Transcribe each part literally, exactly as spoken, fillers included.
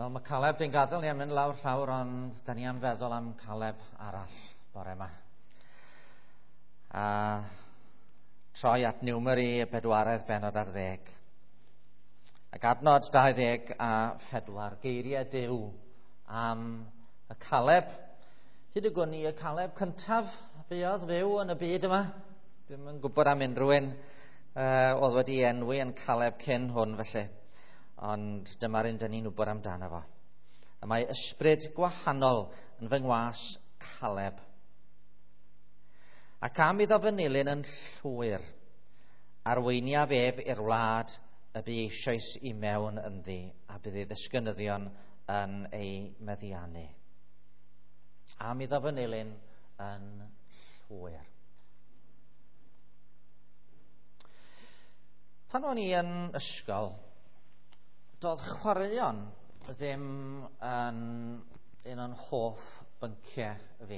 Wel, mae Caleb di'n gadael ni am mynd lawr llawr, ond da ni am feddwl am Caleb arall bore yma. A troi at Niwmeri y bedwaredd bennod ar ddeg. Ac adnod dau ddeg a phedwar, geiriau Duw am y Caleb. Hyd y gwn i y Caleb cyntaf buodd fyw yn y byd yma. Dwi'm yn gwybod am unrhyw un uh, oedd wedi enwi yn Caleb cyn hwn felly. Ond dyma'r un dyn ni'n wybod amdano fo. A mae ysbryd gwahanol yn fy ngwas Caleb. Ac am iddo fy nilyn yn llwyr, arweiniaf ef i'r wlad y bu eisoes i mewn ynddi, a bydd ei ddisgynyddion yn ei meddiannu. Am iddo fy nilyn yn llwyr. Pan o'n i yn ysgol, doedd chwaraeon ddim yn un o'n hoff bynciau fi,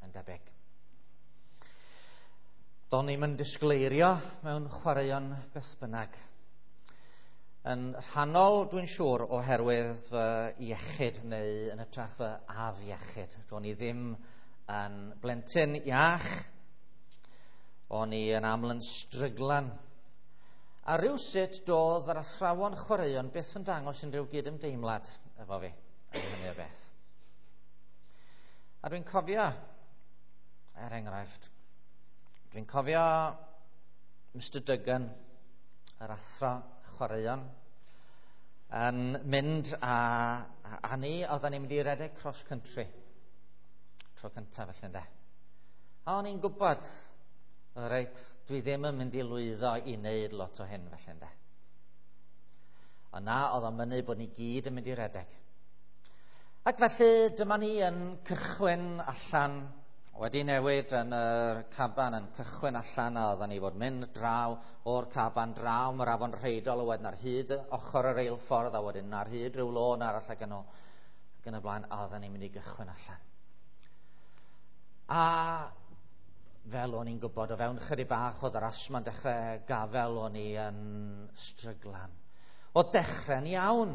yn debyg. Do'n i'm yn disgleirio mewn chwaraeon beth bynnag. Yn rhannol, dwi'n siŵr, oherwydd fy iechyd neu yn hytrach fy afiechyd. Do'n i ddim yn blentyn iach. O'n i yn aml yn stryglan. A rywsut doedd yr athrawon chwaraeon byth yn dangos unrhyw gydymdeimlad efo fi, yn hynny o beth. A dwi'n cofio, er enghraifft, dwi'n cofio Mister Duggan, yr athro chwaraeon, yn mynd a, a, a ni, oedden ni'n mynd i redeg cross country. Tro cyntaf felly ynde. A o'n i'n gwybod, reit, dwi ddim yn mynd i lwyddo i wneud lot o hyn felly ynde. Ond na, oedd o'n mynnu bod ni gyd yn mynd i redeg. Ac felly dyma ni yn cychwyn allan, wedi newid yn y caban, yn cychwyn allan, a oedden ni fod mynd draw o'r caban, draw mae'r afon Rheidol, a wedyn ar hyd ochr yr eilffordd, a wedyn ar hyd rhyw lôn arall ac yn ôl, ac yn y blaen, a oedden ni'n mynd i gychwyn allan. A fel o'n i'n gwybod, o fewn chydig bach oedd yr asma'n dechrau gafel, o'n i yn stryglan. O dechrau'n iawn.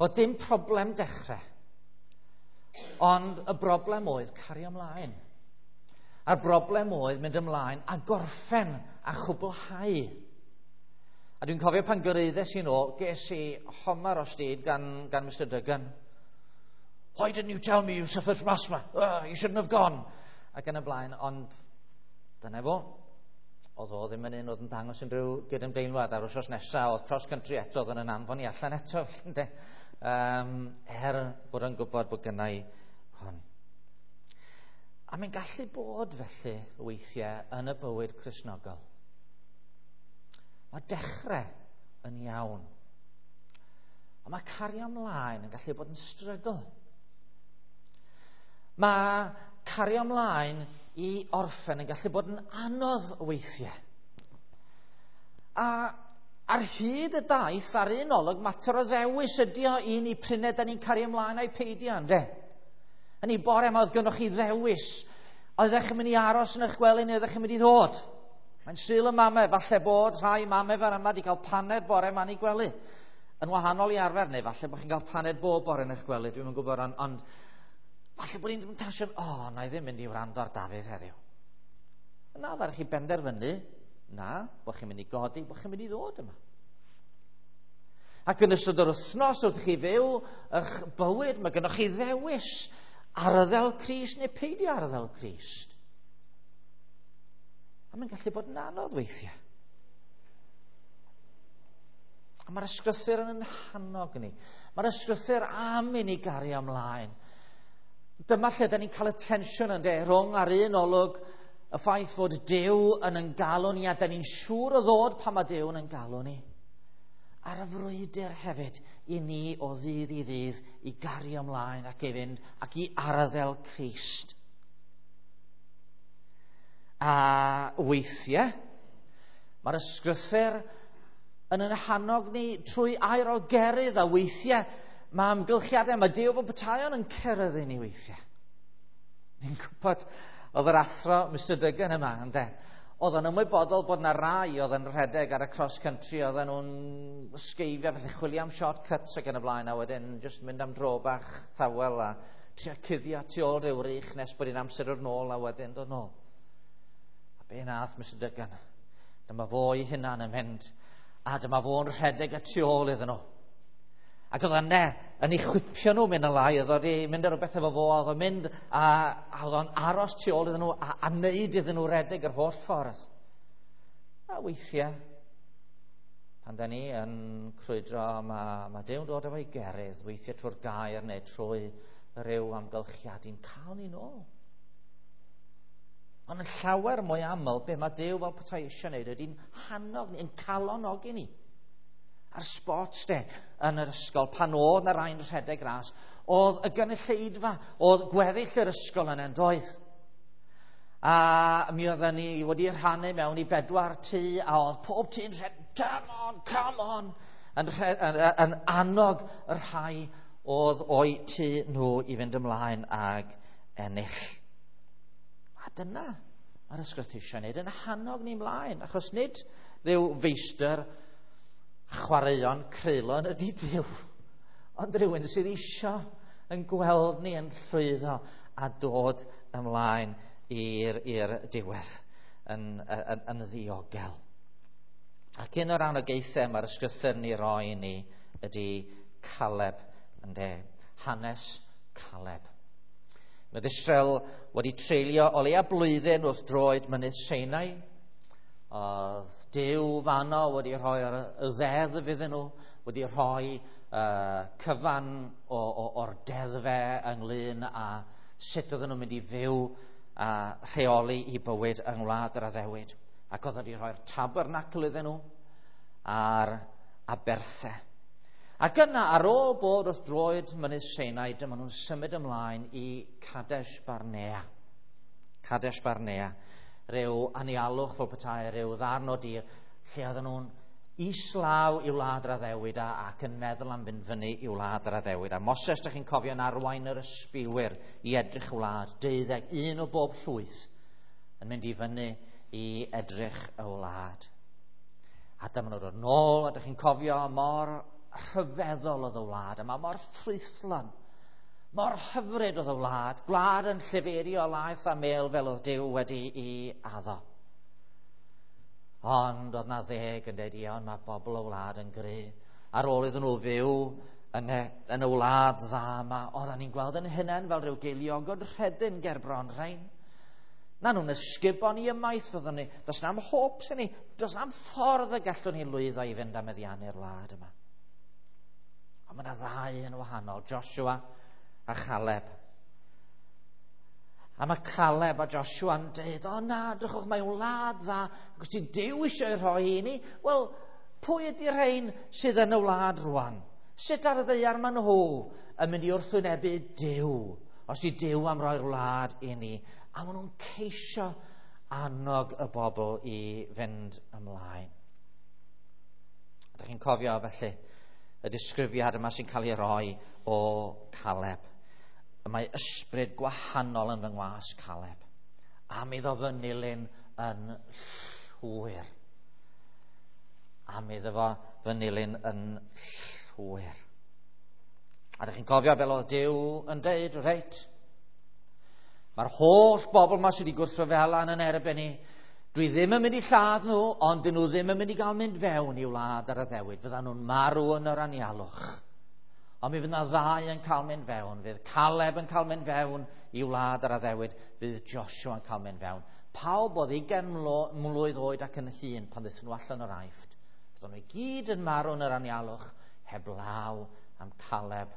O dim problem dechrau. Ond y broblem oedd cario ymlaen. A'r broblem oedd mynd ymlaen a gorffen a chwblhau. A dwi'n cofio pan gyrhaeddes i nôl, ges i homar o styd gan, gan Mister Duggan. Why didn't you tell me you suffered from asthma? Oh, you shouldn't have gone. Ac yn y blaen, ond dyna fo. Oedd o ddim yn un oedd yn dangos unrhyw gydymdeimlad. A'r wythnos nesaf, oedd cross country eto, oedd yn anfon i allan eto. um, er bod yn gwybod bod gynna i hwn. A mae'n gallu bod felly weithiau yn y bywyd Cristnogol. Mae dechrau yn iawn. Ond mae cario ymlaen yn gallu bod yn strygl. Mae cario ymlaen i orffen yn gallu bod yn anodd weithiau. A ar hyd y daith, ar un olwg, mater o ddewis ydi o i ni prynau da ni'n cario ymlaen a'i peidio, ynde? Yn ei bore yma oedd gynnoch chi ddewis. Oeddech chi'n mynd i aros yn eich gwely neu oeddech chi'n mynd i ddod? Mae'n Sul y Mame, falle bod rhai mame fan yma wedi cael paned bore yma yn ei gwely. Yn wahanol i arfer, neu falle bod chi'n cael paned bob bore yn eich gwely, dwi'm yn gwybod, ond, ond falle bod ni'n tasio, o, oh, na i ddim mynd i wrando ar Dafydd heddiw. Yna, ddaru chi benderfynu, na, bod chi'n mynd i godi, bod chi'n mynd i ddod yma. Ac yn ystod yr wythnos wrth chi fyw eich bywyd, mae gennych chi ddewis arddel Crist neu peidio arddel Crist. A mae'n gallu bod yn anodd weithiau. A mae'r ysgrythur yn hannog ni. Mae'r ysgrythur am i ni gario ymlaen. Dyma lle da ni'n cael y tensiwn ynde, rhwng ar un olwg y ffaith fod Duw yn ein galw ni, a da ni'n siŵr o ddod pan mae Duw yn ein galw ni. Ar y frwydr hefyd i ni o ddydd i ddydd i gario ymlaen ac i fynd ac i arddel Crist. A weithiau, mae'r ysgrythur yn ein hannog ni trwy air o gerydd, a weithiau mae amgylchiadau, mae Duw fel petaion yn ceryddu ni weithiau. Ni'n gwybod, oedd yr athro Mister Duggan yma, ynde? Oedd o'n ymwybodol bod na rai oedd yn rhedeg ar y cross country, oedden nhw'n sgeifio, felly chwilio am shortcuts ac yn y blaen, a wedyn just mynd am dro bach tawel a trio cuddio tu ôl ryw rych nes bod hi'n amser o'r nôl a wedyn dod nôl. A be nath Mister Duggan? Dyma fo ei hunan yn mynd, a dyma fo'n rhedeg y tu ôl iddyn nhw. Ac oedd yna yn ei chwipio nhw mynd yn lai, oedd wedi mynd ar rhywbeth efo fo, oedd o'n mynd a, a oedd o'n aros tu ôl iddyn nhw a, a wneud iddyn nhw redeg yr holl ffordd. A weithiau, pan da ni yn crwydro, mae, mae Duw'n dod efo'i gerydd, weithiau trwy'r gair neu trwy ryw amgylchiad i'n cael ni nôl. Ond yn llawer mwy aml, be mae Duw fel petai eisiau wneud ydy'n hannog ni, yn calonogi ni. Ar sports day yn yr ysgol, pan oedd na rai'n rhedeg ras, oedd y gynulleidfa, oedd gweddill yr ysgol yn endoedd. A mi oedden ni wedi rhannu mewn i bedwar tŷ, a oedd pob tŷ'n rhedeg, come on, come on, yn, yn, yn annog y rhai oedd o'i tŷ nhw i fynd ymlaen ag ennill. A dyna mae'r ysgrythur eisiau gwneud, yn hannog ni ymlaen, achos nid rhyw feistr chwaraeon creulon ydy Duw, ond rhywun sydd eisiau yn gweld ni yn llwyddo a dod ymlaen i'r, i'r diwedd yn, yn, yn ddiogel. Ac un o'r anogaethau mae'r ysgrythur ni roi ni ydy Caleb, ynde, hanes Caleb. Mae Israel wedi treulio o leia blwyddyn wrth droed mynydd Sinai. Oedd Duw fanno wedi rhoi'r ddeddf iddyn nhw, wedi rhoi uh, cyfan o, o, o'r deddfau ynglyn â sut oedden nhw'n mynd i fyw a rheoli i bywyd yng ngwlad yr addewid. Ac oedd wedi rhoi'r tabernacl iddyn nhw a'r aberthau. Ac yna, ar ôl bod wrth droed mynydd Sinai, dyma nhw'n symud ymlaen i Kadesh Barnea. Kadesh Barnea. Rhyw anialwch fel petai, rhyw ddarn o dir, lle oedden nhw'n islaw i wlad yr addewid a, ac yn meddwl am fynd fyny i wlad yr addewid. A Moses, dych chi'n cofio, yn arwain yr ysbiwyr i edrych y wlad, deuddeg, un o bob llwyth, yn mynd i fyny i edrych y wlad. A dyma nhw'n dod nôl, a dych chi'n cofio mor rhyfeddol oedd y wlad, a mae mor ffrwythlon, mor hyfryd oedd y wlad, gwlad yn llifeirio laeth a mel fel oedd Duw wedi i addo. Ond oedd na ddeg yn dweud, ie, ond mae bobl y wlad yn gry. Ar ôl iddyn nhw fyw yn y, yn y wlad dda yma, oedden ni'n gweld yn hunain fel rhyw geiliogod rhedyn ger bron rhain. Na nhw'n ysgubo ni ymaith fyddwn ni. Does na'm hopes i ni, does na'm ffordd y gallwn ni lwyddo i fynd am meddiannu'r wlad yma. Ond mae yna ddau yn wahanol, Joshua a Caleb. A mae Caleb a Joshua yn dweud, o na, drychwch, mae wlad dda, ac os ti Duw eisiau rhoi i ni, wel, pwy ydy'r rhain sydd yn y wlad rwan? Sut ar y ddaear maen nhw yn mynd i wrthwynebu Duw, os di Duw am roi'r wlad i ni? A maen nhw'n ceisio annog y bobl i fynd ymlaen. Ydych chi'n cofio felly y disgrifiad yma sy'n cael ei roi o Caleb? Mae ysbryd gwahanol yn fy ngwas Caleb, am iddo fy nilyn yn llwyr. Am iddo fo fy nilyn yn llwyr. A ydych chi'n cofio fel oedd Duw yn deud, reit, mae'r holl bobl yma sydd wedi gwrthryfela yn erbyn ni, dwi ddim yn mynd i lladd nhw, ond dyn nhw ddim yn mynd i gael mynd fewn i wlad yr addewid. Fyddan nhw'n marw yn yr anialwch. Ond mi fydd na ddau yn cael mynd fewn. Fydd Caleb yn cael mynd fewn i wlad yr addewid. Fydd Joshua yn cael mynd fewn. Pawb oedd ugain mlwydd oed ac yn hŷn pan ddaethon nhw allan o'r Aifft. Fyddan nhw i gyd yn marw yn yr anialwch, heblaw am Caleb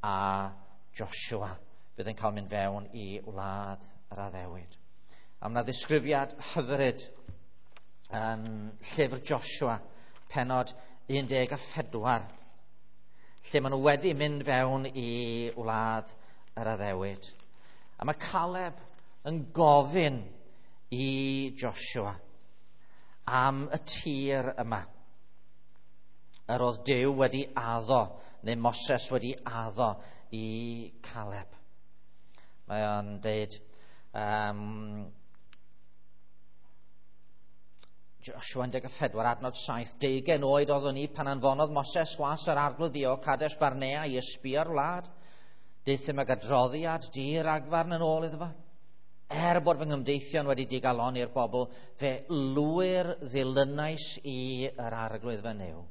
a Joshua. Fydd yn cael mynd fewn i wlad yr addewid. A mae yna ddisgrifiad hyfryd yn llyfr Joshua, penod un deg a phedwar, lle maen nhw wedi mynd fewn i wlad yr addewid. A mae Caleb yn gofyn i Joshua am y tir yma. Yr oedd Duw wedi addo, neu Moses wedi addo i Caleb. Mae o'n deud, um, Joshua un deg pedwar adnod saith, deugain oed oeddwn i pan anfonodd Moses gwas yr arglwydd fi o Kadesh Barnea i ysbïo'r wlad. Deuthum ag adroddiad di-ragfarn yn ôl iddo fo. Er bod fy nghymdeithion wedi digaloni'r bobl, fe lwyr ddilynais i yr arglwydd fy Nuw.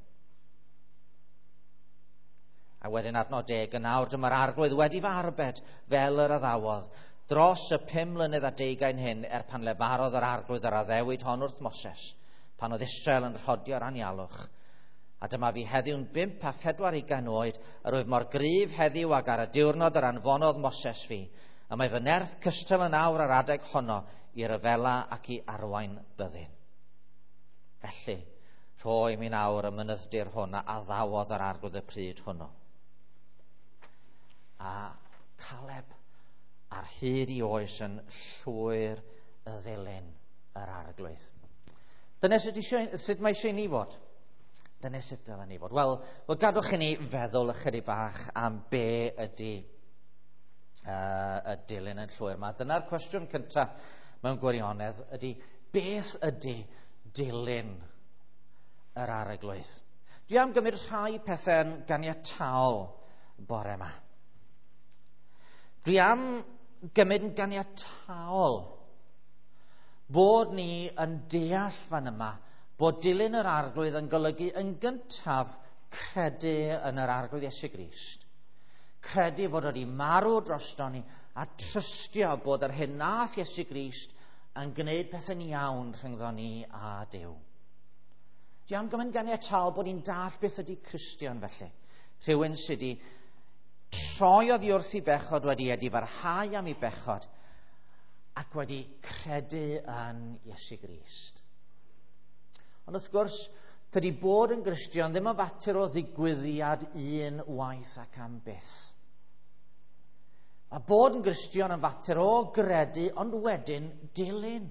A wedyn adnod deg, yn awr dyma'r arglwydd wedi fy arbed fel yr addawodd. Dros y pum mlynedd a deugain hyn, er pan lefarodd yr arglwydd yr addewid hon wrth Moses, pan oedd Israel yn rhodio'r anialwch. A dyma fi heddiw'n bump a phedwar ugain oed, yr wyf mor gryf heddiw ag ar y diwrnod yr anfonodd Moses fi. A mae fy nerth cystal yn awr ar adeg honno i ryfela ac i arwain byddin. Felly, rhoi mi'n awr y mynydd-dir hwn a addawodd yr arglwydd y pryd hwnnw. A Caleb ar hyd i oes yn llwyr y ddilyn yr arglwydd. Dyna sut, eisiau, sut mae eisiau ni fod? Dyna sut dylen ni fod? Wel, wel gadwch i ni feddwl ychydig bach am be ydy uh, y dilyn yn llwyr yma. Dyna'r cwestiwn cyntaf mewn gwirionedd ydy, beth ydy dilyn yr arglwydd? Dwi am gymryd rhai pethau'n ganiataol bore yma. Dwi am gymryd yn ganiataol bod ni yn deall fan yma bod dilyn yr arglwydd yn golygu yn gyntaf credu yn yr arglwydd Iesu Grist. Credu fod wedi marw drosto ni a trystio bod yr hyn nath Iesu Grist yn gwneud pethau'n iawn rhyngddo ni a Duw. Dwi am gymryd ganiataol bod ni'n dall beth ydy Cristion felly. Rhywun sydd wedi troi oddi wrth i bechod, wedi edifarhau am ei bechod ac wedi credu yn Iesu Grist. Ond wrth gwrs, tydi bod yn Gristion ddim yn fater o ddigwyddiad un waith ac am byth. A bod yn Gristion yn fater o gredu, ond wedyn dilyn.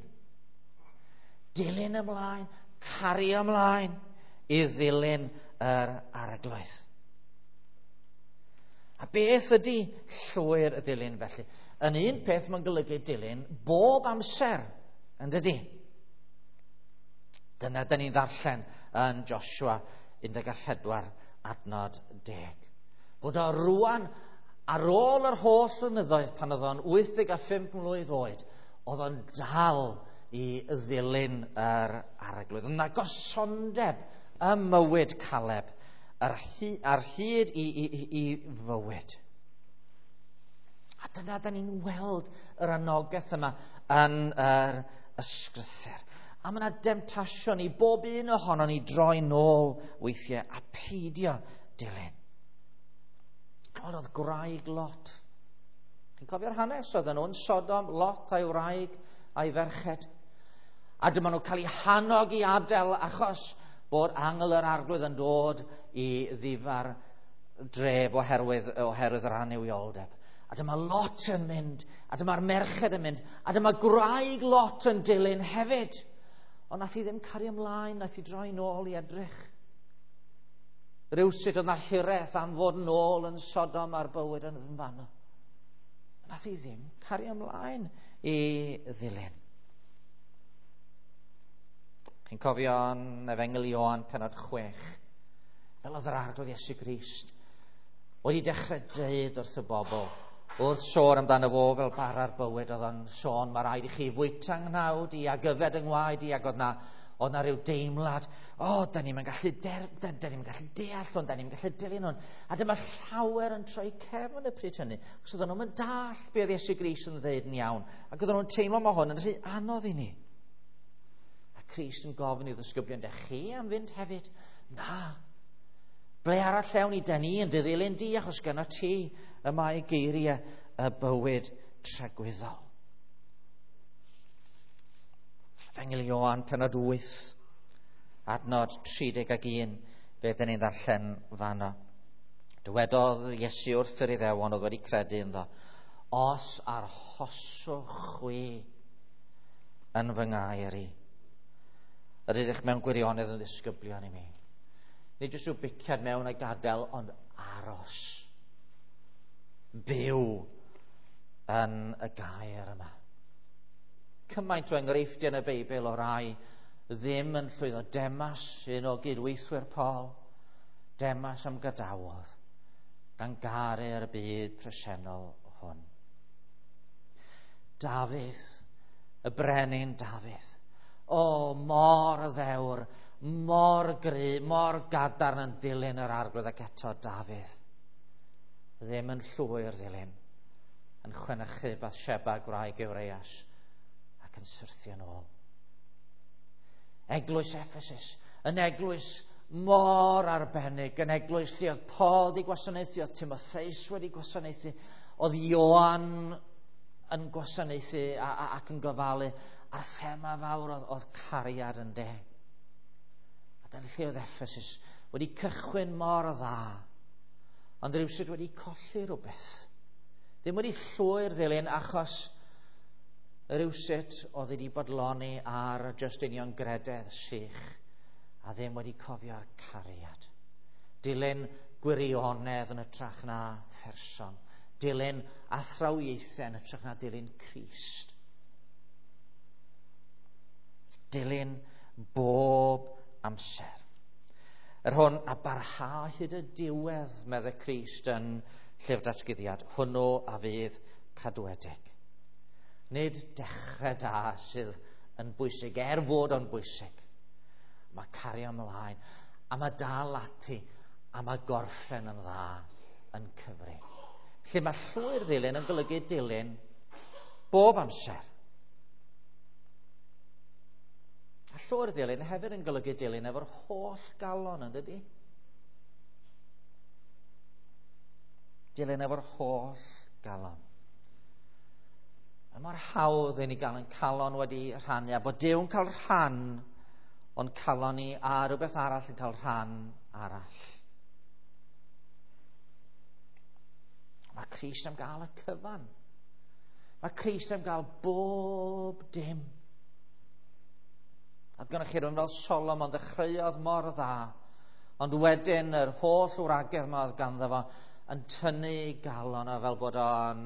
Dilyn ymlaen, cario ymlaen i ddilyn yr arglwydd. A beth ydy llwyr y dilyn felly? Yn un peth mae'n golygu dilyn bob amser, yn dydy? Dyna dyn ni'n ddarllen yn Joshua un deg pedwar adnod deg. Bod o rwan ar ôl yr holl flynyddoedd pan oedd o'n wyth deg a phump mlwydd oed, oedd o'n dal i ddilyn yr arglwydd. Yna gosondeb ym mywyd Caleb ar hyd i, i, i, i fywyd. A dyna da ni'n weld yr anogaeth yma yn yr ysgrythur. A mae yna demtasiwn i bob un ohono ni droi nôl weithiau a peidio dilyn. Ond oedd gwraig Lot. Chi'n cofio'r hanes? Oedden nhw'n Sodom, Lot a'i wraig a'i ferched. A dyma nhw'n cael eu hannog i adael achos bod angel yr arglwydd yn dod i ddifar dref oherwydd, oherwydd yr annuwioldeb. A dyma Lot yn mynd, a dyma'r merched yn mynd, a dyma gwraig Lot yn dilyn hefyd. Ond nath hi ddim cario ymlaen, nath hi droi nôl i edrych. Rywsut oedd na hiraeth am fod nôl yn Sodom a'r bywyd yn fanno. Nath hi ddim cario ymlaen i ddilyn. Chi'n cofio yn Efengyl Ioan pennod chwech, fel oedd yr arglwydd Iesu Grist wedi dechrau dweud wrth y bobl, wrth sôn amdano fo fel bara'r bywyd, oedd o'n sôn, mae rhaid i chi fwyta nghnawd i ac yfed yng ngwaed i, ac oedd na, oedd na rhyw deimlad, o, oh, da ni'n gallu, der, da, da ni'n gallu deall hwn, da ni'n gallu dilyn hwn. A dyma llawer yn troi cefn y pryd hynny, achos oedden nhw'n dall be oedd Iesu Grist yn dweud yn iawn, ac oedden nhw'n teimlo mae hwn yn rhy anodd i ni. A Crist yn gofyn i'w ddisgyblion, dych chi am fynd hefyd? Na. Ble arall ewn ni, da ni yn dy ddilyn di, achos gyda ti y mae geiriau y bywyd tragwyddol. Efengyl Ioan, pennod wyth, adnod tri deg ac un, fe dyn ni'n ddarllen fanno. Dywedodd Iesu wrth yr Iddewon oedd wedi credu ynddo, os arhoswch chwi yn fy ngair i, yr ydych mewn gwirionedd yn ddisgyblion i mi. Nid jyst rhyw biciad mewn a gadael, ond aros. Byw yn y gair yma. Cymaint o enghreifftiau yn y Beibl o rai ddim yn llwyddo. Demas, un o gydweithwyr Paul, Demas am gadawodd, gan garu'r byd presennol hwn. Dafydd, y brenin Dafydd, o, mor ddewr, mor gry, mor gadarn yn dilyn yr Arglwydd, ac eto Dafydd ddim yn llwyr ddilyn, yn chwenychu Bathsheba gwraig Urias ac yn syrthio yn ôl. Eglwys Ephesus, yn eglwys mor arbennig, yn eglwys lle oedd Paul wedi gwasanaethu, oedd Timotheus wedi gwasanaethu, oedd Ioan yn gwasanaethu a, a, ac yn gofalu, a'r thema fawr oedd, oedd cariad yn de. A dyna lle oedd Ephesus wedi cychwyn mor dda, ond rhywsut wedi colli rhywbeth. Ddim wedi llwyr ddilyn, achos rhywsut oedd wedi bodloni ar just union grededd sych, a ddim wedi cofio'r cariad. Dilyn gwirionedd yn hytrach na pherson. Dilyn athrawiaethau yn hytrach na dilyn Crist. Dilyn bob amser. Yr hwn a barha hyd y diwedd, meddai Crist yn Llyfr Datguddiad, hwnnw a fydd cadwedig. Nid dechrau da sydd yn bwysig, er fod o'n bwysig. Mae cario ymlaen, a mae dal ati, a mae gorffen yn dda yn cyfri. Lle mae llwyr ddilyn yn golygu dilyn bob amser. A llwyr ddilyn hefyd yn golygu dilyn efo'r holl galon, yn dydi? Dilyn efo'r holl galon. Mae mor hawdd i ni gael yn calon wedi rhannu, a bod Duw'n cael rhan o'n calon ni a rhywbeth arall yn cael rhan arall. Mae Crist am gael y cyfan. Mae Crist am gael bob dim. A gynnwch chi rhywun fel Solomon, ddechreuodd mor dda, ond wedyn yr holl wragedd yma oedd ganddo fo yn tynnu galon o fel bod o'n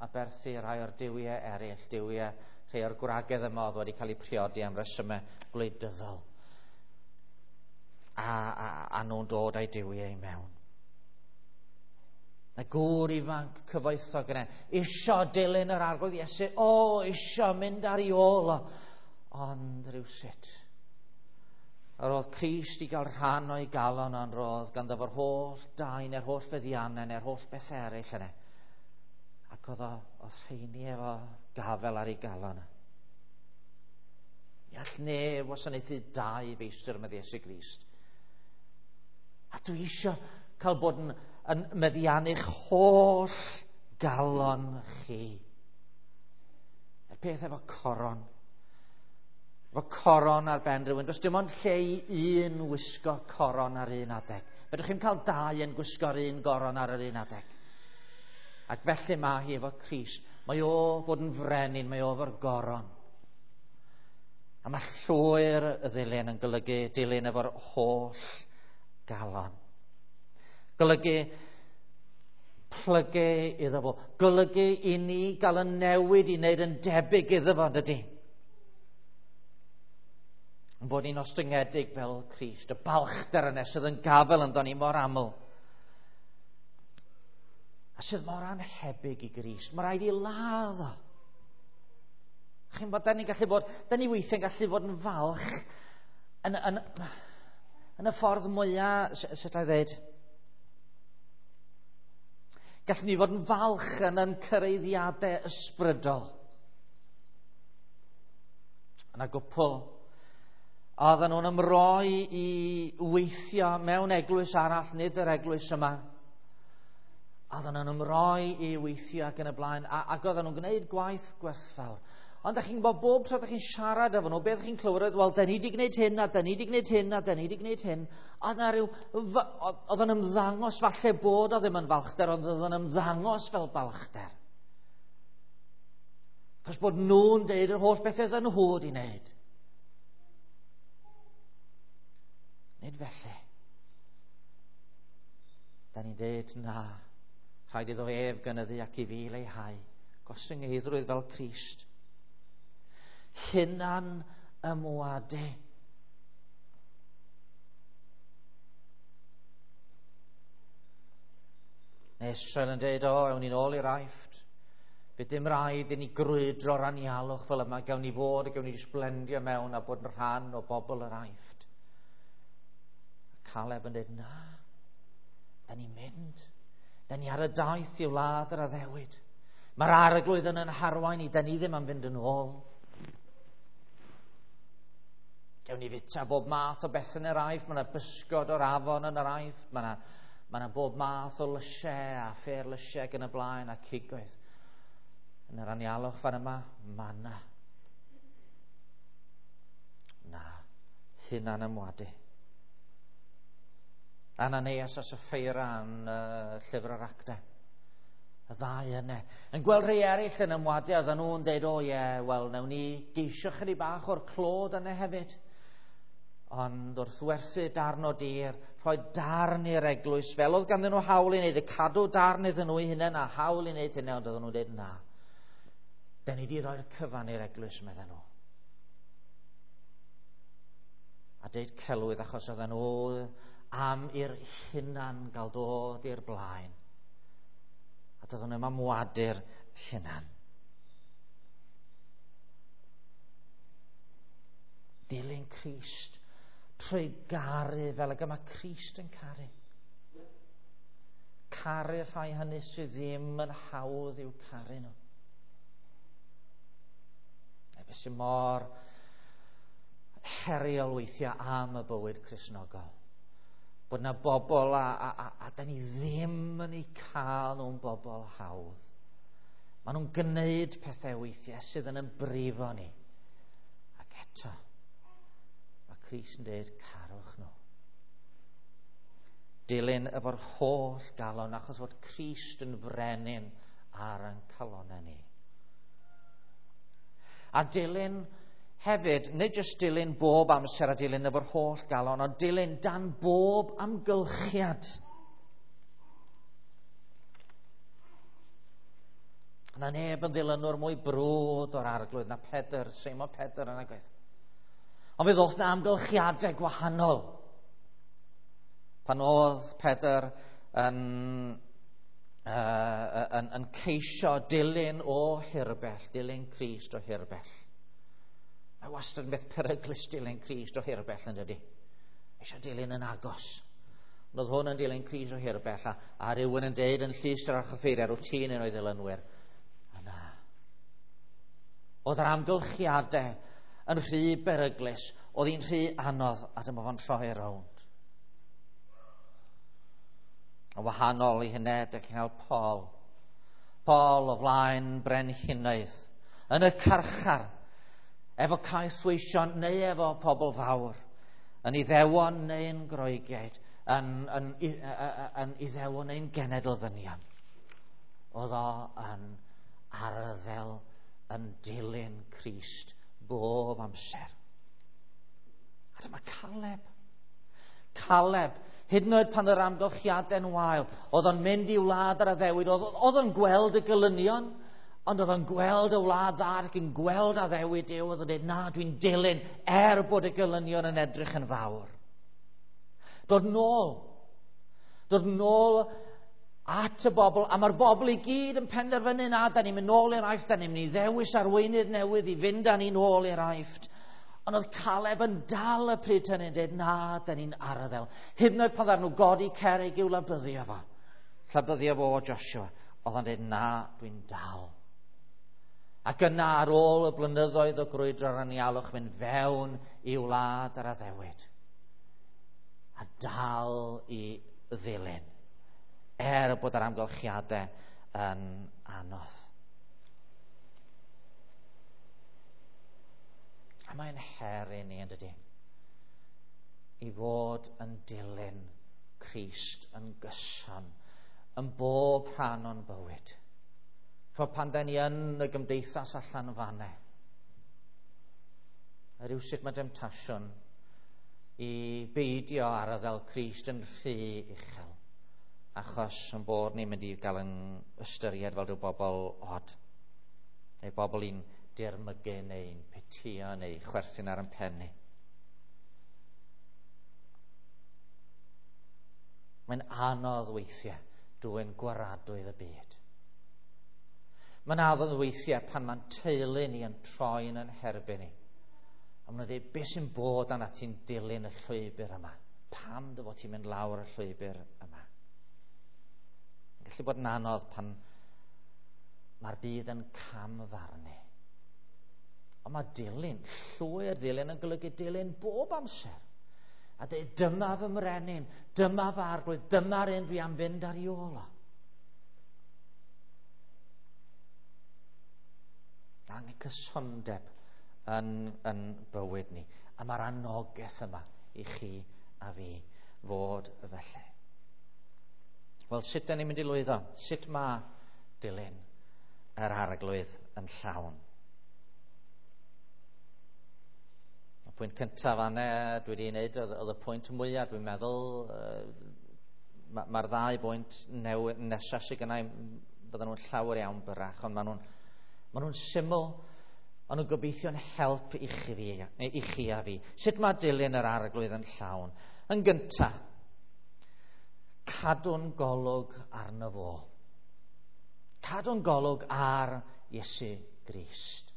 aberthu rhai o'r duwiau eraill, duwiau rhai o'r gwragedd yma oedd wedi cael eu priodi am resymau gwleidyddol. A, a, a nhw'n dod â'i duwiau i mewn. Y gŵr ifanc cyfoethog yna, isio dilyn yr Arglwydd Iesu, o, isio mynd ar ei ôl o. Ond rhywsut, yr oedd Crist i gael rhan o'i galon, ond roedd ganddo fo'r holl dai neu'r holl feddiannau neu'r holl beth eraill yna. Ac oedd, o, oedd rheini efo gafel ar ei galon. Ni all neb wasanaethu dau feistr med Iesu Grist. A dwi isio cael bod yn, yn meddiannu'ch holl galon chi. Y peth efo coron. Efo coron ar ben rhywun. Does dim ond lle i un wisgo coron ar un adeg. Fedrwch chi'm cael dau yn gwisgo'r un goron ar yr un adeg. Ac felly mae hi efo Crist. Mae o fod yn frenin, mae o efo'r goron. A mae llwyr y ddilyn yn golygu dilyn efo'r holl galon. Golygu plygu iddo fo. Golygu i ni gael y newid i wneud yn debyg iddo fo, dydy? Yn bod ni'n ostyngedig fel Crist, y balchder yna sydd yn gafel ynddo ni mor aml. A sydd mor anhebyg i Grist. Mae rhaid i ladd o. Chi'n bod, da ni'n gallu bod, da ni weithiau'n gallu bod yn falch yn, yn, yn y ffordd mwyaf, sut I ddweud, gallwn ni fod yn falch yn yn cyraeddiadau ysbrydol. Yna gwpl oedden nhw'n ymroi i weithio mewn eglwys arall, nid yr eglwys yma. Oedden nhw'n ymroi i weithio ac yn y blaen, a, ac oedden nhw'n gwneud gwaith gwerthfawr. Ond ydych chi'n gwybod, bob tro ydych chi'n siarad efo nhw, beth ydych chi'n clywed, wel, da ni wedi gwneud hyn, a da ni wedi gwneud hyn, a da ni wedi gwneud hyn. Oedd na ryw, oedd yn ymddangos falle bod o ddim yn falchder, ond oedd yn ymddangos fel balchder. Achos bod nhw'n deud yr holl bethau oedd nhw wedi wneud. Nid felly. Da ni'n deud, na, rhaid iddo ef gynyddu ac i fi leihau. Gostyngeiddrwydd fel Crist. Hunan ymwadu. Neu Israel yn dweud, o, ewn ni'n ôl i'r Aifft. Bydd dim rhaid i ni grwydro'r anialwch fel yma, gawn ni fod a gawn ni jyst blendio mewn a bod yn rhan o bobl yr Aifft. A Caleb yn dweud, na, da ni'n mynd. Da ni ar y daith i wlad yr addewid. Mae'r arglwydd yn yn harwain ni, da ni ddim am fynd yn ôl. Gawn ni fita bob math o beth yn yr Aifft, mae yna bysgod o'r afon yn yr Aifft, mae yna mae yna bob math o lysiau a ffer lysiau ac yn y blaen a cigoedd. Yn yr anialwch fan yma, mana. Na, hunan ymwadu. Ananias a Sapphira yn uh, llyfr yr Actau. Y ddau yna. Yn gweld rhai eraill yn ymwadu, oedden nhw'n deud, o ie, yeah, wel, nawn ni geisio chydig bach o'r clod yna hefyd. Ond wrth werthu darn o dir, rhoi darn i'r eglwys, fel oedd ganddyn nhw hawl i wneud, y cadw darn iddyn nhw eu hunain a hawl i wneud hynny, ond oedden nhw'n deud na. Da ni wedi rhoi'r cyfan i'r eglwys, medden nhw. A deud celwydd achos oedden nhw am i'r hunan gael dod i'r blaen. A doedden nhw'n ymwadu'r hunan. Dilyn Crist trwy garu fel ag y mae Crist yn caru. Caru'r rhai hynny sydd ddim yn hawdd i'w caru nhw. A beth sy'n mor heriol weithiau am y bywyd Cristnogol. Bod yna bobl a, a, a, a da ni ddim yn eu cael nhw'n bobl hawdd. Maen nhw'n gwneud pethau weithiau sydd yn ymbrifo ni. Ac eto, mae Crist yn dweud, carwch nhw. Dilyn efo'r holl galon, achos fod Crist yn frenin ar ein calonnau ni. A dilyn hefyd, nid jyst dilyn bob amser a dilyn efo'r holl galon, ond dilyn dan bob amgylchiad. Na neb yn ddilynwr mwy brwd o'r arglwydd na Pedr, Seimon Pedr yn agwedd. Ond fe ddoth na amgylchiadau gwahanol. Pan oedd Pedr yn, uh, yn, yn ceisio dilyn o hirbell, dilyn Crist o hirbell. Mae wastad yn beth peryglus dilyn Crist o hirbell yn dydy. Eisiau dilyn yn agos. Ond oedd hwn yn dilyn Crist o hirbell a, a rhywun yn deud yn llys yr archoffeiriad, wyt ti'n un o'i ddilynwyr. A na. Oedd yr amgylchiadau yn rhy beryglus, oedd hi'n rhy anodd, a dyma fo'n troi rownd. Yn wahanol i hynny, dych chi'n cael Paul. Paul o flaen brenhinoedd, yn y carchar, efo caethweision neu efo pobl fawr, yn Iddewon neu'n Groegiaid, yn, yn, yn, yn Iddewon neu'n genedl ddynion. Oedd o yn arddel yn dilyn Crist bob amser. A dyma Caleb. Caleb, hyd yn oed pan yr amgylchiadau'n wael, oedd o'n mynd i wlad yr addewid, oedd, oedd o'n gweld y gelynion, ond oedd o'n gweld y wlad dda ac yn gweld addewid Duw, oedd o'n dweud, na, dwi'n dilyn er bod y gelynion yn edrych yn fawr. Dod nôl. Dod nôl at y bobl, a mae'r bobl i gyd yn penderfynu, na, da ni'n mynd nôl i'r Aifft, da ni'n mynd i ddewis arweinydd newydd i fynd â ni nôl i'r Aifft. Ond oedd Caleb yn dal y pryd hynny'n dweud, na, da ni'n arddel. Hyd yn oed pan ddaru nhw godi cerrig i'w labyddio fo, llabyddio fo o Joshua, oedd o'n dweud, na, dwi'n dal. Ac yna ar ôl y blynyddoedd o grwydro'r anialwch, mynd fewn i wlad yr addewid. A dal i ddilyn, er bod yr amgylchiadau yn anodd. A mae'n her i ni, yn dydy, i fod yn dilyn Crist yn gyson, yn bob rhan o'n bywyd. Ch'mod, pan da ni yn y gymdeithas allan fanne, a rywsut mae demtasiwn i beidio arddel Crist yn rhy uchel, achos yn bod ni'n mynd i gael yn ystyried fel rhyw bobl od, neu bobl i'n dirmygu neu'n pitio neu chwerthin ar ein pen ni. Mae'n anodd weithiau dwyn gwaradwydd y byd. Mae'n addodd weithiau pan mae'n teulu ni yn troi'n yn herbyn ni. A maen nhw'n dweud, beth sy'n bod arna ti'n dilyn y llwybr yma? Pam dy fod ti'n mynd lawr y llwybr yma? Mae'n gallu bod yn anodd pan mae'r byd yn camfarnu. Ond mae dilyn, llwyr ddilyn yn golygu dilyn bob amser. A dweud, dyma fy mrenin, dyma fy arglwydd, dyma'r un dwi am fynd ar ei ôl o. Angen cysondeb yn, yn bywyd ni. A mae'r anogaeth yma i chi a fi fod felly. Wel, sut da ni'n mynd i lwyddo? Sut mae dilyn yr arglwydd yn llawn? Y pwynt cyntaf fanne dwi wedi wneud oedd, oedd y pwynt mwyaf, dwi'n meddwl. Mae'r ma ddau bwynt nesaf sydd gennau, bydden nhw'n llawer iawn byrach, ond maen nhw'n ma nhw'n syml, ond nhw'n gobeithio'n help i chi, fi, i chi a fi. Sut mae dilyn yr arglwydd yn llawn? Yn gyntaf, cadw'n golwg arno fo. Cadw'n golwg ar Iesu Grist.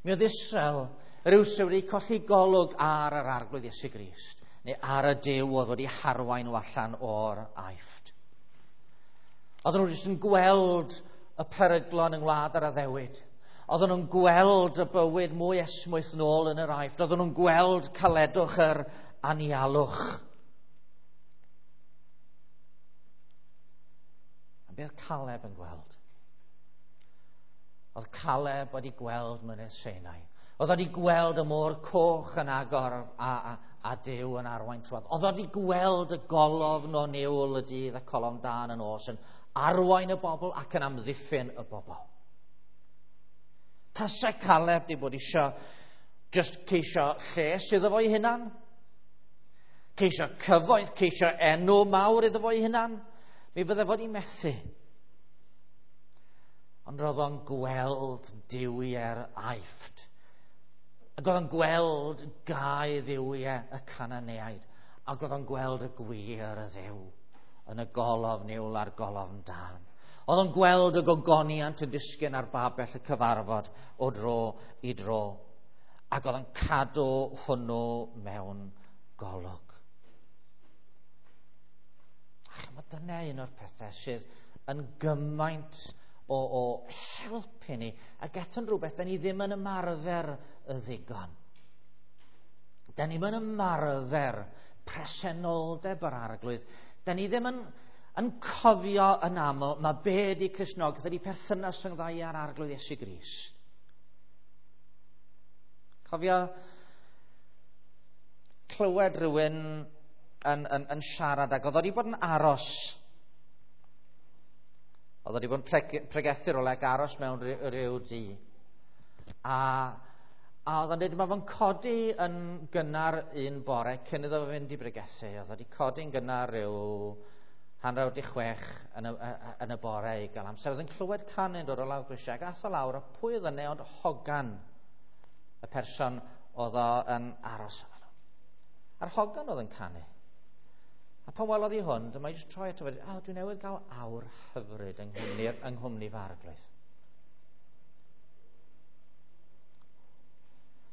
Mi oedd Israel rywsut wedi colli golwg ar yr arglwydd Iesu Grist, neu ar y Duw oedd wedi harwain nhw allan o'r Aifft. Oedden nhw jyst yn gweld y peryglon yng ngwlad yr addewid. Oedden nhw'n gweld y bywyd mwy esmwyth nôl yn yr Aifft. Oedden nhw'n gweld caledwch yr anialwch. A beth Caleb yn gweld? Oedd Caleb wedi gweld mynydd Sinai. Oedd wedi gweld y môr coch yn agor a, a, a Duw yn arwain trwodd. Oedd wedi gweld y golofn o niwl y dydd a colofn dân y nos yn arwain y bobl ac yn amddiffyn y bobl. Tasai Caleb wedi bod eisiau just ceisio lles iddo fo'i hunan, ceisio cyfoeth, ceisio enw mawr iddo fo'i hunan, mi fydde fod i methu. Ond roedd o'n gweld duwiau'r Aifft. Ac oedd o'n gweld gau dduwiau y Cananeaid. Ac oedd o'n gweld y gwir y Dduw yn y golofn niwl a'r golofn dân. Oedd o'n gweld y gogoniant yn disgyn ar babell y cyfarfod o dro i dro. Ac oedd o'n cadw hwnnw mewn golwg. A chymod, dyna un o'r pethau sydd yn gymaint o, o helpu ni, ac eto'n rhywbeth da ni ddim yn ymarfer y ddigon. Da ni ddim yn ymarfer presenoldeb yr arglwydd. Da ni ddim yn, yn cofio yn aml mae be di Cristnogaeth ydi perthynas rhwng ddau a'r arglwydd Iesu Grist. Cofio clywed rhywun yn, yn, yn siarad ac oedd wedi bod yn aros. Oedd wedi bod yn pregethu rhywle ac aros mewn rhyw dŷ. A, a oedd o'n dweud, mae fo'n codi yn gynnar un bore cyn iddo fo fynd i bregethu. Oedd wedi codi'n gynnar rhyw hanner awr 'di chwech yn y, yn y bore i gael amser. Oedd yn clywed canu'n dod o lawr grisiau ac ath o lawr, a pwy oedd yna ond hogan, y person oedd o yn aros efo nhw. A'r hogan oedd yn canu. A pan welodd hi hwn, dyma i jyst troi ato fe, o, dwi newydd gael awr hyfryd yng nghwmni, yng nghwmni fy arglwydd.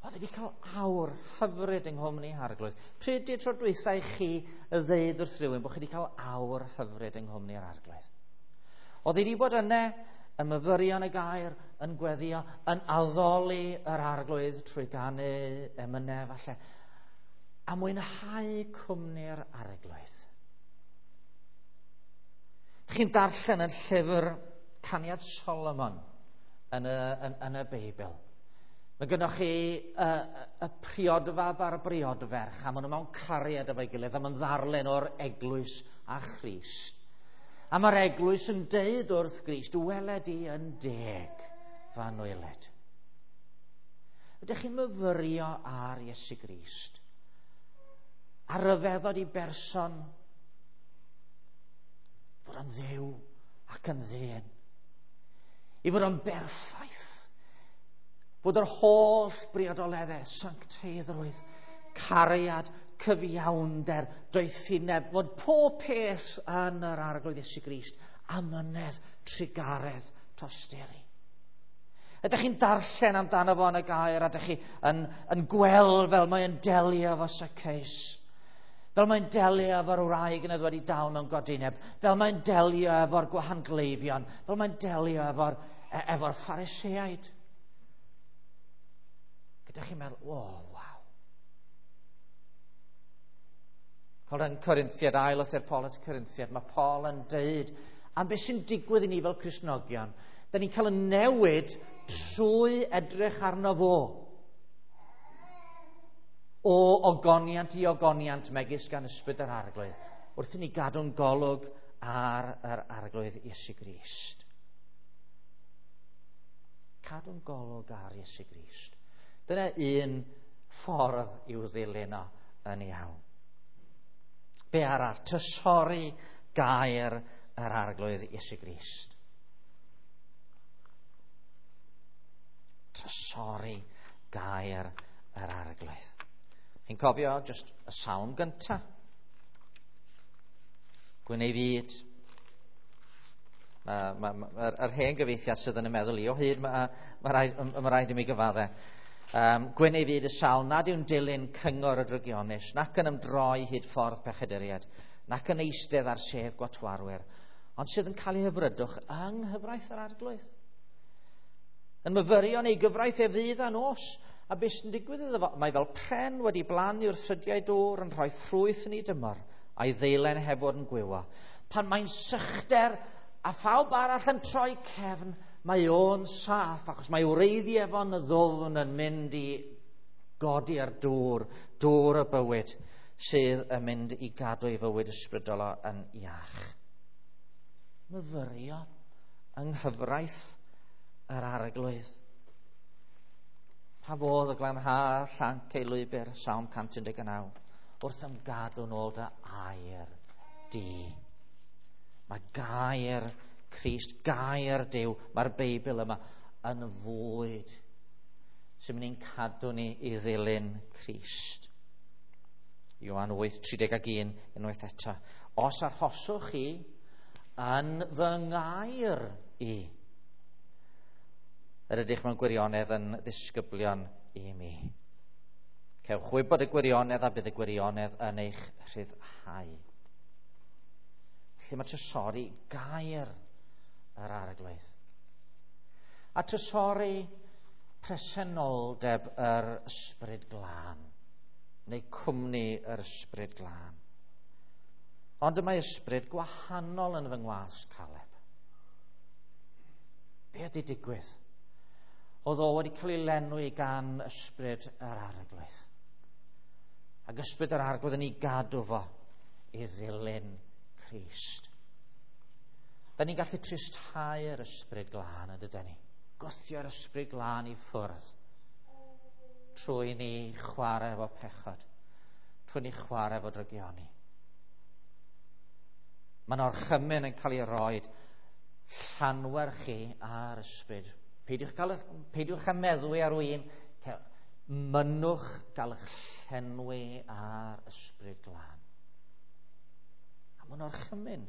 Oedd wedi cael awr hyfryd yng nghwmni arglwydd. Pryd di'r tro dwytha i chi ddeud wrth rhywun bod chi wedi cael awr hyfryd yng nghwmni'r arglwydd? Oedd wedi bod yna yn myfyrio yn y gair, yn gweddio, yn addoli yr arglwydd trwy ganu emynau falle, a mwynhau cwmni'r arglwydd. Chi'n darllen yn llyfr Caniad Solomon yn y, yn, yn y Beibl. Mae gennych chi y, y priodfab a'r briodferch, a maen nhw mewn cariad efo'i gilydd, a maen ddarllen o'r eglwys a Christ. A mae'r eglwys yn deud wrth Grist, wele di yn deg fy anwyled. Ydych chi'n myfyrio ar Iesu Grist? A ryfeddod i berson fod yn Dduw ac yn ddyn. I fod yn berffaith. Fod yr holl briodoleddau, sancteiddrwydd, cariad, cyfiawnder, doethineb, fod pob peth yn yr Arglwydd Iesu Grist, amynedd, trugaredd, tosturi. Ydych chi'n darllen amdano fo yn y gair, a ydych chi yn, yn gweld fel mae'n delio efo Zacchaeus, fel mae'n delio efo'r wraig yn wedi dal mewn godineb, fel mae'n delio efo'r gwahangleifion, fel mae'n delio efo'r efo Phariseaid. Gyda chi'n meddwl, o, oh, waw. Fel yn Corinthiad, ail lythyr Paul at y Corinthiad, mae Paul yn deud am beth sy'n digwydd i ni fel Cristnogion. Da ni'n cael y newid trwy edrych arno fo. O ogoniant i ogoniant megis gan ysbryd yr Arglwydd, wrth i ni gadw'n golwg ar yr Arglwydd Iesu Grist. Cadw'n golwg ar Iesu Grist. Dyna un ffordd i'w ddilyn o yn iawn. Be arall? Trysori gair yr Arglwydd Iesu Grist. Trysori gair yr Arglwydd. Chi'n cofio just y salm gynta. Gwyn ei fyd. Mae'r ma, ma, ma, yr hen gyfeithiad sydd yn y meddwl i o hyd, mae ma rhaid, ma rhaid i mi gyfadde. Um, Gwyn ei fyd y sawl nad yw'n dilyn cyngor y drygionus, nac yn ymdroi hyd ffordd pechaduriaid, nac yn eistedd ar sedd gwatwarwyr, ond sydd yn cael ei hyfrydwch yng nghyfraith yr Arglwydd. Yn myfyrio yn ei gyfraith ef ddydd a nos, a beth sy'n digwydd iddo fo? Mae fel pren wedi blannu wrth ffrydiau dŵr yn rhoi ffrwyth yn ei dymor, a'i ddeilen heb fod yn gwywo. Pan mae'n sychder a phawb arall yn troi cefn, mae o'n saff, achos mae wreiddiau fo'n ddwfn yn mynd i godi ar dŵr, dŵr y bywyd, sydd yn mynd i gadw ei fywyd ysbrydol o yn iach. Myfyrio yng nghyfraith yr Arglwydd. Pa fodd y glanhau llanc ei lwybr, Salm cant un deg naw, wrth ymgadw nôl dy air di. Mae gair Crist, gair Duw, mae'r Beibl yma yn fwyd sy'n mynd i'n cadw ni i ddilyn Crist. Ioan wyth, tri deg un, unwaith eto. Os arhoswch chi yn fy ngair i, yr ydych mewn gwirionedd yn ddisgyblion i mi. Cewch wybod y gwirionedd a bydd y gwirionedd yn eich rhyddhau. Felly mae trysori gair yr Arglwydd. A trysori presenoldeb yr Ysbryd Glân, neu cwmni yr Ysbryd Glân. Ond y mae ysbryd gwahanol yn fy ngwas, Caleb. Be ydy digwydd? Oedd o wedi cael ei lenwi gan ysbryd yr Arglwydd. Ac ysbryd yr Arglwydd yn ei gadw fo i ddilyn Crist. Da ni'n gallu tristhau'r Ysbryd Glân, yn dydyn ni? Gwthio'r Ysbryd Glân i ffwrdd trwy ni chwarae efo pechod, trwy ni chwarae efo drygioni. Mae'n orchymyn yn cael ei roed llanwer chi ar ysbryd. Peidiwch, gael, peidiwch â meddwi ar win, mynnwch gael eich llenwi ar Ysbryd Glân. A mae'n orchymyn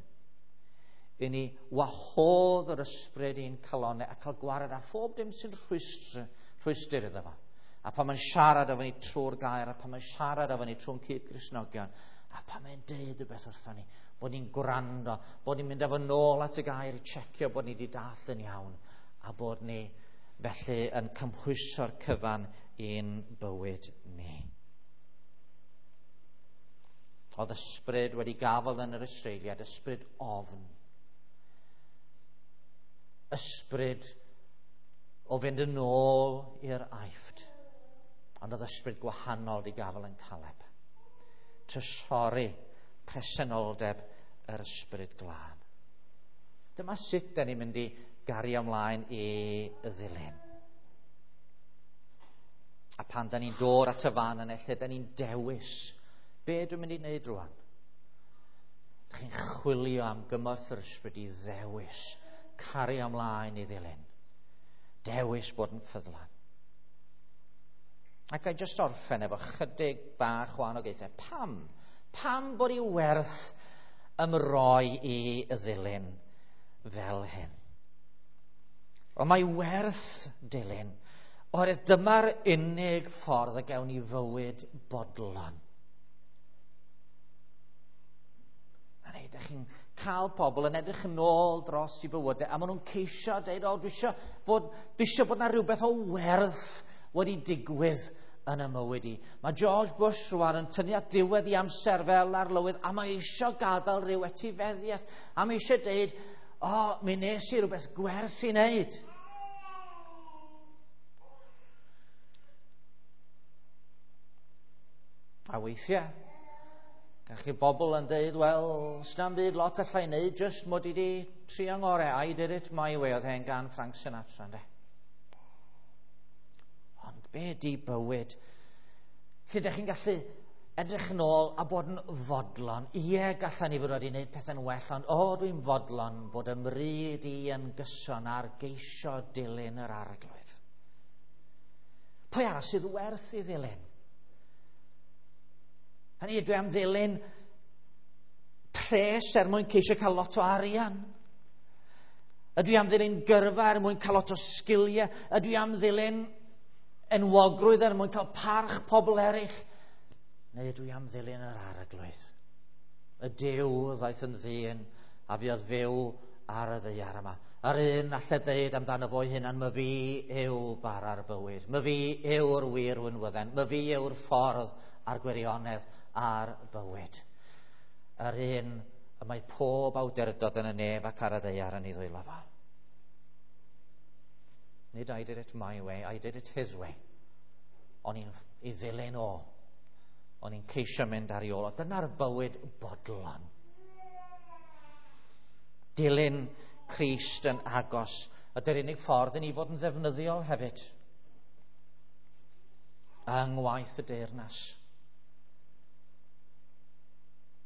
i ni wahodd yr ysbryd i'n calonnau a cael gwared â phob dim sy'n rhwystr, rhwystr iddo fo. A pan mae'n siarad efo ni trwy'r gair, a pan mae'n siarad efo ni trwy'n cyd-Gristnogion, a pan mae'n deud rhywbeth wrthon ni, bod ni'n gwrando, bod ni'n mynd efo nôl at y gair i checio bod ni wedi dallt yn iawn, a bod ni felly yn cymhwyso'r cyfan i'n bywyd ni. Oedd ysbryd wedi gafael yn yr Israeliad, ysbryd ofn. Ysbryd o fynd yn ôl i'r Aifft. Ond oedd ysbryd gwahanol wedi gafael yn Caleb. Trysori presenoldeb yr Ysbryd Glân. Dyma sut da ni'n mynd i gario ymlaen i ddilyn. A pan da ni'n dod at y fan yna lle da ni'n dewis, be dwi'n mynd i wneud rwan? Da chi'n chwilio am gymorth yr ysbryd i ddewis, cario ymlaen i ddilyn. Dewis bod yn ffyddlon. Ac I just orffen efo chydig bach o anogaethau. Pam? Pam bod i werth ymroi i ddilyn fel hyn? Ond mae werth dilyn, oherwydd dyma'r unig ffordd y gawn ni fywyd bodlon. A neu, ydych chi'n cael pobl yn edrych yn ôl dros i bywydau, a maen nhw'n ceisio deud, o, dwi eisiau bod, dwi eisiau bod na rhywbeth o werth wedi digwydd yn y mywyd i. Mae George Bush rwan yn tynnu at ddiwedd i amser fel arlywydd, a mae eisiau gadael rhyw etifeddiaeth, a mae eisiau deud, o, oh, mi nes i rhywbeth gwerth i wneud. A weithiau, gach chi bobl yn deud, wel, sna'm byd lot allai wneud, just mod i di trio ngorau. I did it my way, oedd hen gan Frank Sinatra, ynde. Ond be di bywyd? Lle ydych chi'n gallu edrych yn ôl a bod yn fodlon. Ie, gallan ni fod wedi gwneud pethau'n well, ond o, dwi'n fodlon bod y mryd i yn gyson ar geisio dilyn yr Arglwydd. Pwy arall sydd werth i ddilyn? Hynny, dwi am ddilyn pres er mwyn ceisio cael lot o arian. Ydw i am ddilyn gyrfa er mwyn cael lot o sgiliau. Ydw i am ddilyn enwogrwydd er mwyn cael parch pobl eraill. Neu ydw i am ddilyn yr Arglwydd? Y Duw ddaeth yn ddyn a fuodd fyw ar y ddaear yma. Yr un allai ddeud amdano fo'i hunan, my fi yw bara'r bywyd, my fi yw'r wir winwydden, my fi yw'r ffordd a'r gwirionedd a'r bywyd. Yr un y mae pob awdurdod yn y nef ac ar y ddaear yn ei ddwylo fo. Nid I did it my way, I did it his way. O'n i'n ei ddilyn o. O'n i'n ceisio mynd ar ei ôl o. Dyna'r bywyd bodlon. Dilyn Crist yn agos. Ydy'r unig ffordd i ni fod yn ddefnyddiol hefyd. Yng ngwaith y deyrnas.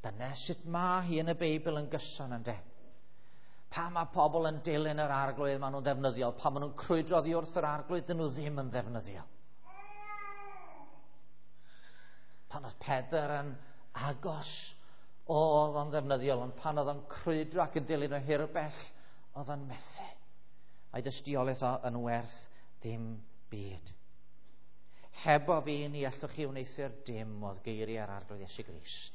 Dyna sut mae hi yn y Beibl yn gyson, ynde? Pa mae pobl yn dilyn yr Arglwydd, maen nhw'n ddefnyddiol. Pa maen nhw'n crwydro oddi wrth yr Arglwydd, dyn nhw ddim yn ddefnyddiol. Pan oedd Pedr yn agos, oedd o'n ddefnyddiol, ond pan oedd o'n crwydro ac yn dilyn o hirbell, oedd o'n methu. A'i dystiolaeth o yn werth dim byd. Hebo fi ni allwch chi wneuthur dim oedd geiriau'r Arglwydd Iesu Grist.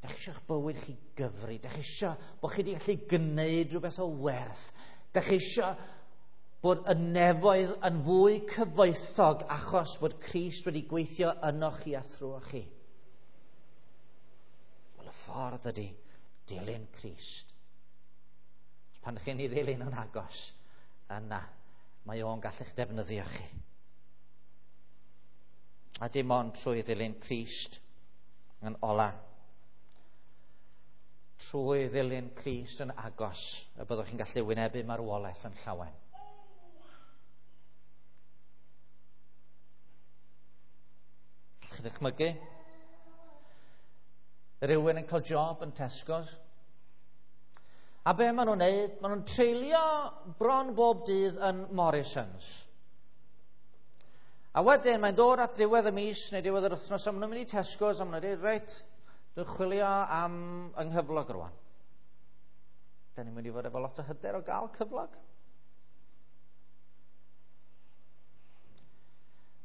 Dach chi eisiau'ch bywyd chi gyfri. Dach chi eisiau bod chi wedi gallu gwneud rhywbeth o werth. Dach chi eisiau bod y nefoedd yn fwy cyfoethog achos bod Crist wedi gweithio ynoch chi a thrwoch chi. Wel, y ffordd ydy dilyn Crist. Pan ydych chi'n ei ddilyn yn agos, yna mae o'n gallu'ch defnyddio chi. A dim ond trwy ddilyn Crist yn ola, trwy ddilyn Crist yn agos, y byddwch chi'n gallu wynebu marwolaeth yn llawen. Gallwch chi ddychmygu rhywun yn cael job yn Tesco's. A be maen nhw'n neud? Maen nhw'n treulio bron bob dydd yn Morrisons. A wedyn mae'n dod at ddiwedd y mis neu diwedd yr wythnos, a maen nhw'n mynd i Tesco's a maen nhw'n dweud, reit, dwi'n chwilio am yng nghyflog rwan. Da ni'n mynd i fod efo lot o hyder o gael cyflog.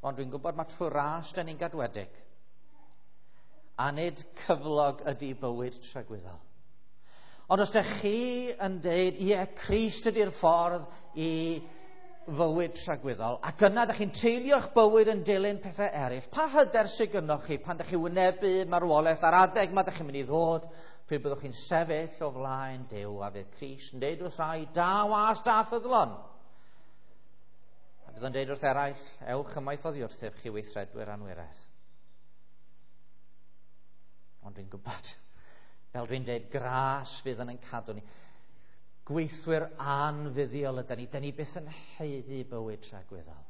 Ond dwi'n gwybod mae trwy ras da ni'n gadwedig. A nid cyflog ydy bywyd tragwyddol. Ond os ydych chi yn deud, ie, Crist ydy'r ffordd i fywyd tragwyddol, ac yna ydych chi'n treulio'ch bywyd yn dilyn pethau eraill, pa hyder sydd gynnoch chi pan ydych chi wynebu marwolaeth ar adeg ma ydych chi'n mynd i ddod, pryd byddwch chi'n sefyll o flaen Duw, a fydd Crist yn deud wrth rai, da was da ffyddlon. A bydd yn deud wrth eraill, ewch ymaith oddi wrthyf chi weithredwyr anwiredd. Ond dwi'n gwybod, fel dwi'n deud, gras fydd yn ein cadw ni. Gweithwyr anfuddiol ydy ni. Dyn ni byth yn haeddu bywyd tragwyddol.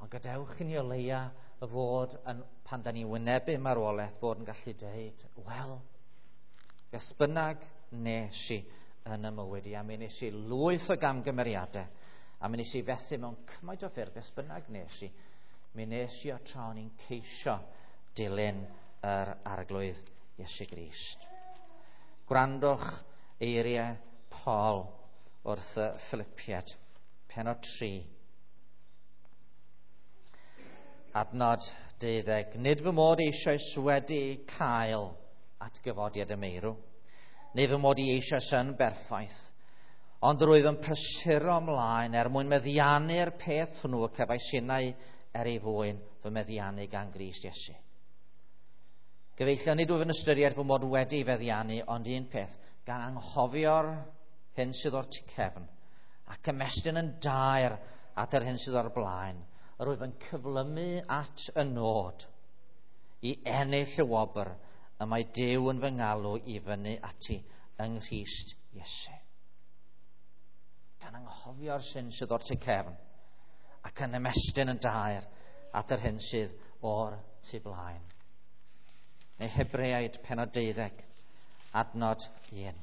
Ond gadewch i ni o leia fod yn, pan da ni wynebu marwolaeth, fod yn gallu dweud, wel, beth bynnag nes i yn y mywyd i, a mi nes i lwyth o gamgymeriadau, A mi nes i fethu mewn cymaint o ffyrdd, beth bynnag nes i. Mi nes i o tra o'n i'n ceisio dilyn yr Arglwydd Iesu Grist. Gwrandwch eiriau Paul wrth y Philippiaid, pennod tri. Adnod deuddeg. Nid fy mod eisoes wedi cael atgyfodiad y meirw, neu fy mod i eisoes yn berffaith, ond rwyf yn prysuro ymlaen er mwyn meddiannu'r peth hwnnw y cefais innau er ei fwyn fy meddiannu gan Grist Iesu. Gyfeillion, nid wyf yn ystyried fy mod wedi feddiannu, ond un peth, gan anghofio'r hyn sydd o'r tu cefn, ac ymestyn yn daer at yr hyn sydd o'r blaen, yr wyf yn cyflymu at y nod i ennill y wobr y mae Duw yn fy ngalw i fyny ati yng Nghrist Iesu. Gan anghofio'r syn sydd o'r tu cefn ac yn ymestyn yn daer at yr hyn sydd o'r tu blaen. Neu Hebreaid pennod deuddeg, adnod un.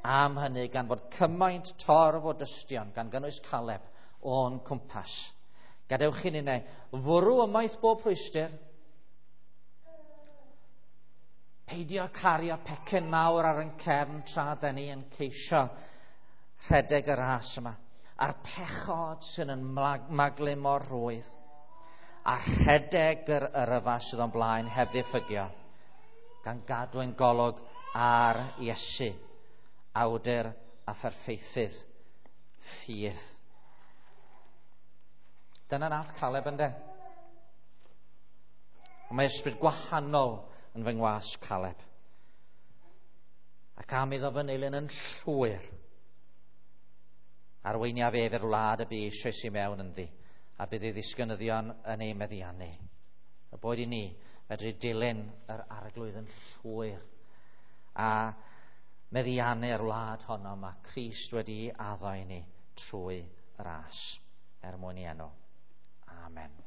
Am hynny, gan fod cymaint torf o dystion, gan gynnwys Caleb, o'n cwmpas, gadewch i ninnau fwrw ymaith bob rhwystr, peidio cario pecyn mawr ar ein cefn tra da ni yn ceisio rhedeg y ras yma, a'r pechod sy'n yn maglu mor rhwydd, a rhedeg yr yrfa sydd o'n blaen heb ddiffygio, gan gadw ein golwg ar Iesu, awdur a pherffeithydd ffydd. Dyna nath Caleb ynde. Ond mae ysbryd gwahanol yn fy ngwas Caleb. Ac am iddo fy nilyn yn llwyr, arweiniaf ef i'r wlad y bu eisoes i mewn ynddi, a bydd ei ddisgynyddion yn ei meddiannu. Y boed i ni fedru dilyn yr Arglwydd yn llwyr a meddiannu'r wlad honno mae Crist wedi addo i ni trwy ras, er mwyn i enw. Amen.